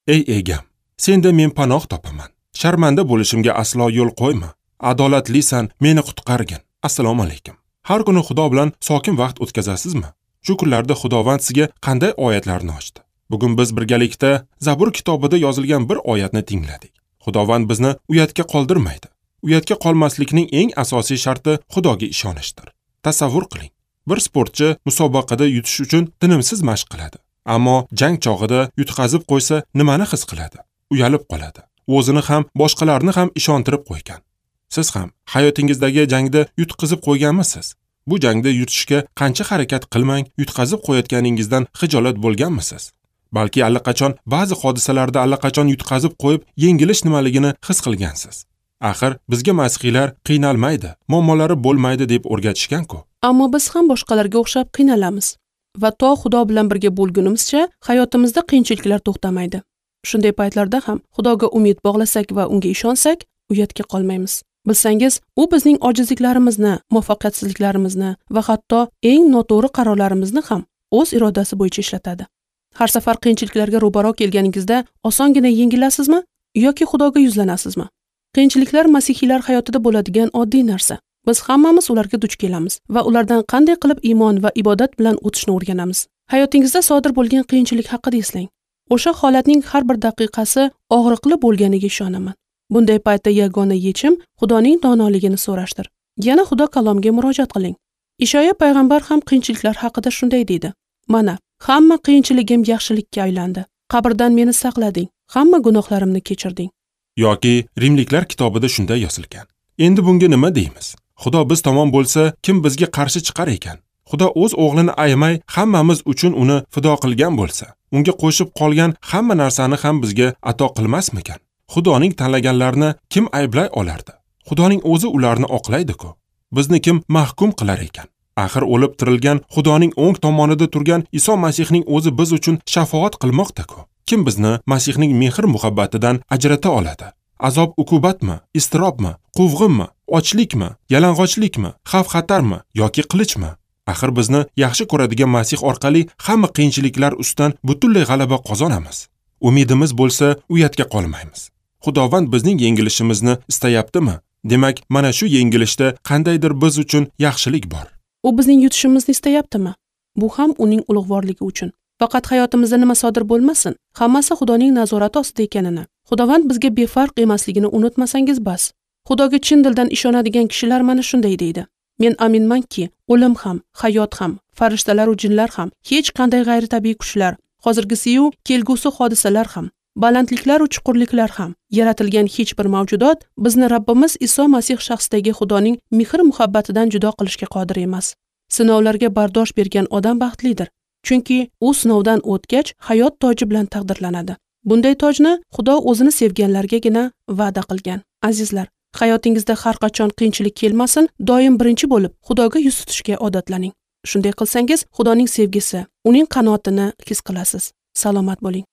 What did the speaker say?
Ey egam, senda men panoh topaman. Sharmanda bo'lishimga aslo yo'l qo'yma. Adolatlisan, meni qutqargin. Assalomu alaykum. Har kuni Xudo bilan sokin vaqt o'tkazasizmi? Shu kunlarda Xudovand sizga qanday oyatlarni ochdi? Bugun biz birgalikda Zabur kitobida yozilgan bir oyatni tingladik. Xudovand bizni uyatga qoldirmaydi. Uyatga qolmaslikning eng asosiy sharti Xudoga ishonishdir. Tasavvur qiling. Bir sportchi musobaqada yutish uchun tinimsiz mashq qiladi. Ammo jang chog'ida yutqazib qo'ysa nimani his qiladi? Uyalib qoladi. O'zini ham, boshqalarni ham ishontirib qo'ygan. Siz ham hayotingizdagi jangda yutqizib qo'yganmisiz? Bu jangda yutishga qancha harakat qilmang, yutqazib qo'yayotganingizdan xijolat bo'lganmisiz? Balki allaqachon ba'zi hodisalarda allaqachon yutqazib qo'yib, yengilish nimaligini his qilgansiz. Axir bizga masihiylar qiynalmaydi, muammolari bo'lmaydi deb o'rgatishgan-ku. Ammo biz ham boshqalarga o'xshab qiynalamiz va to Xudo bilan birga bo'lgunimizcha hayotimizda qiyinchiliklar to'xtamaydi. Shunday paytlarda ham Xudoga umid bog'lasak va unga ishonsak, uyatga qolmaymiz. Bilsangiz, u bizning ojizliklarimizni, muvaffaqiyatsizliklarimizni va hatto eng noto'g'ri qarorlarimizni ham o'z irodasi bo'yicha ishlatadi. Har safar qiyinchiliklarga ro'baro kelganingizda osongina yengilasizmi yoki Xudoga yuzlanasizmi? Qiyinchiliklar masihiylar hayotida bo'ladigan oddiy narsa. Biz hammamiz ularga duch kelamiz va ulardan qanday qilib iymon va ibodat bilan o'tishni o'rganamiz. Hayotingizda sodir bo'lgan qiyinchilik haqida eslang. O'sha holatning har bir daqiqasi og'riqli bo'lganiga ishonaman. Bunday paytda yagona yechim Xudoning donoligini so'rashdir. Yana Xudo kalomiga murojaat qiling. Ishoya payg'ambar ham qiyinchiliklar haqida shunday deydi: Mana, hamma qiyinchiligim yaxshilikka aylandi. Qabrdan meni saqlading, hamma gunohlarimni kechirding. Yoki Rimliklar kitobida shunday yozilgan. Endi bunga nima deymiz? Xudo biz tomon bo'lsa, kim bizga qarshi chiqar ekan? Xudo o'z o'g'lini ayamay hammamiz uchun uni fido qilgan bo'lsa, unga qo'shib qolgan hamma narsani ham bizga ato qilmasmikan? Xudoning tanlaganlarini kim ayblay olardi? Xudoning o'zi ularni oqlaydi-ku. Bizni kim mahkum qilar ekan? Axir o'lib tirilgan Xudoning o'ng tomonida turgan Iso Masihning o'zi biz uchun shafoat qilmoqda-ku. Kim bizni Masihning mehr-muhabbatidan ajrata oladi? Azob uqubatmi, iztirobmi, quvg'inmi, ochlikmi, yalang'ochlikmi, xavf-xatarmi yoki qilichmi? Axir bizni yaxshi ko'radigan Masih orqali hamma qiyinchiliklar ustidan butunlay g'alaba qozonamiz. Umidimiz bo'lsa, uyatga qolmaymiz. Xudovand bizning yengilishimizni istayaptimi? Demak, mana shu yengilishda qandaydir biz uchun yaxshilik bor. U bizning yutishimizni istayaptimi? Bu ham uning ulug'vorligi uchun. Faqat hayotimizda nima sodir bo'lmasin, hammasi Xudoning nazorati ostida ekanini, Xudovand bizga befarq emasligini unutmasangiz bas. Xudoga chin dildan ishonadigan kishilar mana shunday deydi: Men aminmanki, o'lim ham, hayot ham, farishtalar va jinlar ham, hech qanday g'ayritabiiy kuchlar, hozirgisi-yu kelgusi hodisalar ham, balandliklar va chuqurliklar ham, yaratilgan hech bir mavjudot bizni Rabbimiz Iso Masih shaxsidagi Xudoning mehr-muhabbatidan judo qilishga qodir emas. Sinovlarga bardosh bergan odam baxtlidir, chunki u sinovdan o'tgach hayot toji bilan taqdirlanadi. Bunday tojni Xudo o'zini sevganlargagina va'da qilgan. Azizlar, hayotingizda har qachon qiyinchilik kelmasin, doim birinchi bo'lib Xudoga yuz tutishga odatlaning. Shunday qilsangiz, Xudoning sevgisi, uning qanotini his qilasiz. Salomat bo'ling.